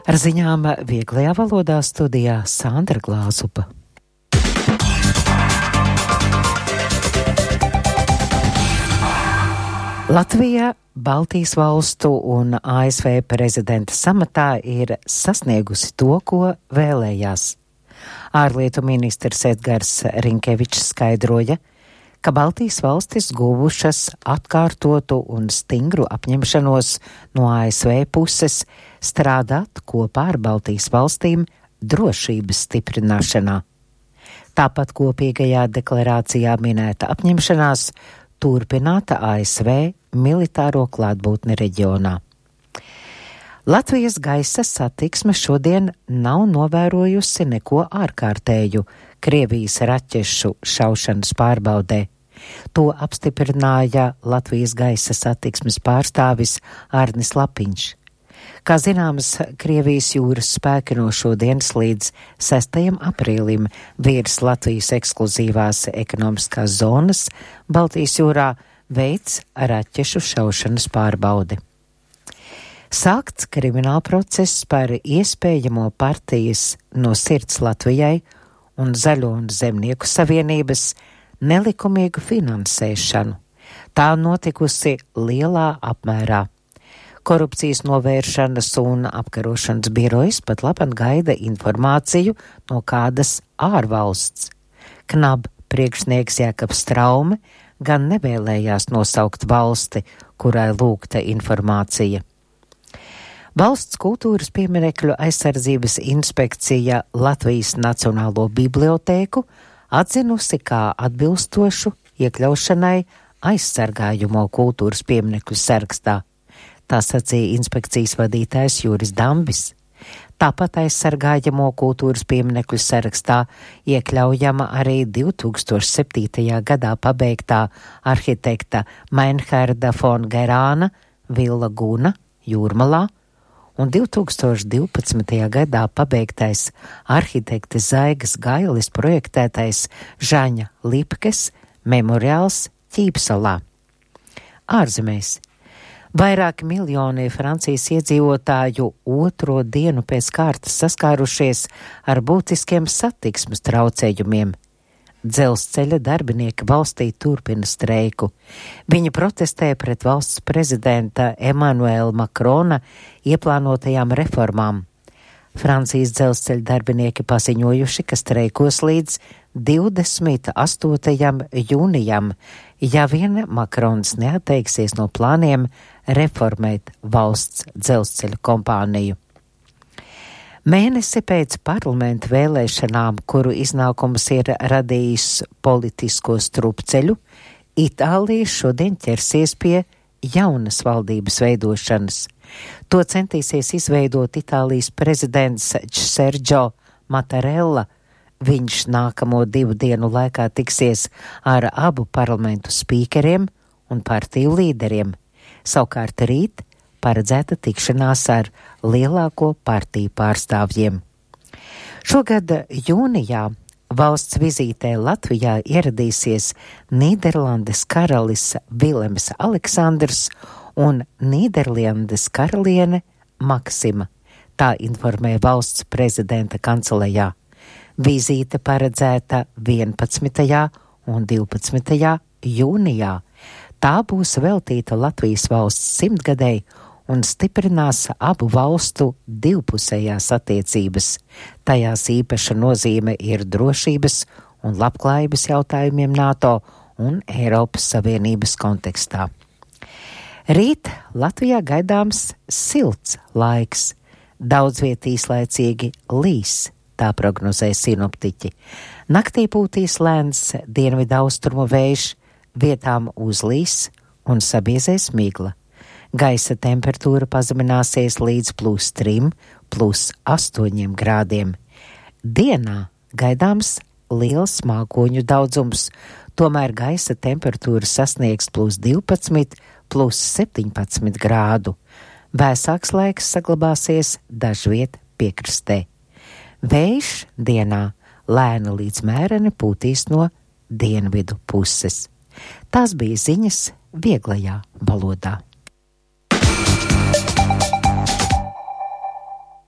Ar ziņām vieglajā valodā studijā Sandra Glāzupa. Latvija Baltijas valstu un ASV prezidenta samatā ir sasniegusi to, ko vēlējās. Ārlietu ministrs Edgars Rinkevičs skaidroja, ka Baltijas valstis guvušas atkārtotu un stingru apņemšanos no ASV puses strādāt kopā ar Baltijas valstīm drošības stiprināšanā. Tāpat kopīgajā deklarācijā minēta apņemšanās turpināta ASV militāro klātbūtni reģionā. Latvijas gaisa satiksme šodien nav novērojusi neko ārkārtēju Krievijas raķešu šaušanas pārbaudē. To apstiprināja Latvijas gaisa satiksmes pārstāvis Arnis Lapiņš. Kā zināms, Krievijas jūras spēki no šodienas līdz 6. aprīlim virs Latvijas ekskluzīvās ekonomiskās zonas Baltijas jūrā veids raķešu šaušanas pārbaudi. Sākts krimināla process par iespējamo partijas No sirds Latvijai un Zaļo un Zemnieku savienības nelikumīgu finansēšanu. Tā notikusi lielā apmērā. Korupcijas novēršanas un apkarošanas birojas pat labāk gaida informāciju no kādas ārvalsts. KNAB priekšnieks Jākabs Straume gan nevēlējās nosaukt valsti, kurai lūgta informācija. Valsts kultūras pieminekļu aizsardzības inspekcija Latvijas Nacionālo bibliotēku atzinusi kā atbilstošu iekļaušanai aizsargājumo kultūras pieminekļu sarakstā. Tā sacīja inspekcijas vadītājs Juris Dambis. Tāpat aizsargājamo kultūras pieminekļu sarakstā iekļaujama arī 2007. gadā pabeigtā arhitekta Meinherda von Gerāna Villa Guna Jūrmalā un 2012. gadā pabeigtais arhitekta Zaigas Gailis projektētais Žaņa Lipkes memoriāls Ķīpsalā. Ārzemēs. Vairāki miljoni Francijas iedzīvotāju otro dienu pēc kārtas saskārušies ar būtiskiem satiksmes traucējumiem. Dzelzceļa darbinieki valstī turpina streiku. Viņi protestē pret valsts prezidenta Emmanuela Macrona ieplānotajām reformām. Francijas dzelzceļa darbinieki paziņojuši, ka streikos līdz 28. jūnijam, ja vien Makrons neatteiksies no plāniem reformēt valsts dzelzceļa kompāniju. Mēnesi pēc parlamenta vēlēšanām, kuru iznākums ir radījis politisko strupceļu, Itālija šodien ķersies pie jaunas valdības veidošanas. To centīsies izveidot Itālijas prezidents Sergio Mattarella. Viņš nākamo 2 dienu laikā tiksies ar abu parlamentu spīkeriem un partiju līderiem. Savukārt rīt paredzēta tikšanās ar lielāko partiju pārstāvjiem. Šogad jūnijā valsts vizītē Latvijā ieradīsies Nīderlandes karalis Vilems Aleksandrs un Nīderlandes karaliene Maksima. Tā informē valsts prezidenta kancelejā. Vizīte paredzēta 11. un 12. jūnijā. Tā būs veltīta Latvijas valsts 100-gadei un stiprinās abu valstu divpusējās attiecības. Tajās īpaša nozīme ir drošības un labklājības jautājumiem NATO un Eiropas Savienības kontekstā. Rīt Latvijā gaidāms silts laiks, daudz viet īslaicīgi līs, tā prognozē sinoptiķi. Naktī pūtīs lēns dienvidaustrumu vējš, vietām uzlīs un sabiezēs migla. Gaisa temperatūra pazemināsies līdz +3, +8 grādiem. Dienā gaidāms liels mākoņu daudzums, tomēr gaisa temperatūra sasniegs +12, +17 grādu. Vēsāks laiks saglabāsies dažviet piekrastē. Vējš dienā lēni līdz mēreni pūtīs no dienvidu puses. Tās bija ziņas vieglajā valodā.